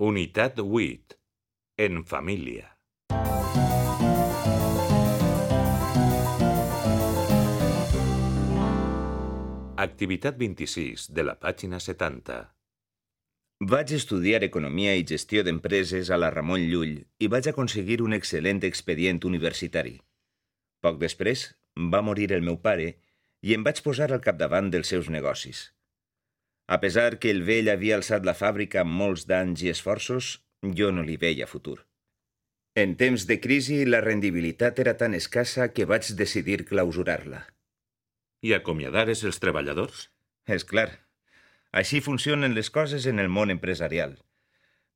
Unitat 8. En família. Activitat 26 de la pàgina 70. Vaig estudiar Economia i Gestió d'Empreses a la Ramon Llull i vaig aconseguir un excel·lent expedient universitari. Poc després va morir el meu pare i em vaig posar al capdavant dels seus negocis. A pesar que el vell havia alçat la fàbrica amb molts d'anys i esforços, jo no li veia futur. En temps de crisi, la rendibilitat era tan escassa que vaig decidir clausurar-la. I acomiadares els treballadors? És clar. Així funcionen les coses en el món empresarial.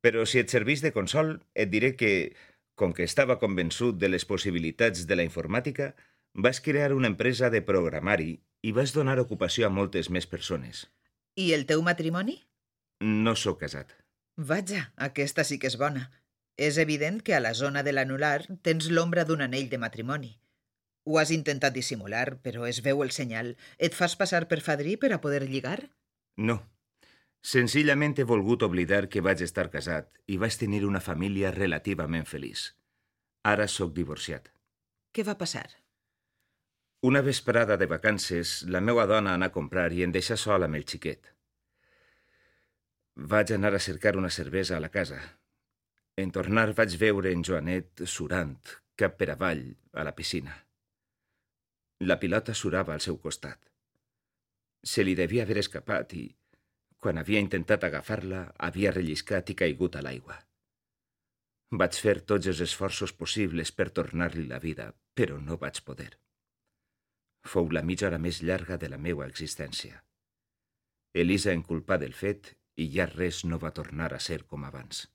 Però si et serveix de consol, et diré que, com que estava convençut de les possibilitats de la informàtica, vaig crear una empresa de programari i vaig donar ocupació a moltes més persones. I el teu matrimoni? No sóc casat. Vaja, aquesta sí que és bona. És evident que a la zona de l'anular tens l'ombra d'un anell de matrimoni. Ho has intentat dissimular, però es veu el senyal. Et fas passar per fadrí per a poder lligar? No. Senzillament he volgut oblidar que vaig estar casat i vaig tenir una família relativament feliç. Ara sóc divorciat. Què va passar? Una vesprada de vacances, la meva dona anà a comprar i em deixà sol amb el xiquet. Vaig anar a cercar una cervesa a la casa. En tornar vaig veure en Joanet surant, cap per avall, a la piscina. La pilota surava al seu costat. Se li devia haver escapat i, quan havia intentat agafar-la, havia relliscat i caigut a l'aigua. Vaig fer tots els esforços possibles per tornar-li la vida, però no vaig poder. Fou la mitja hora més llarga de la meua existència. Elisa em culpà del fet i ja res no va tornar a ser com abans.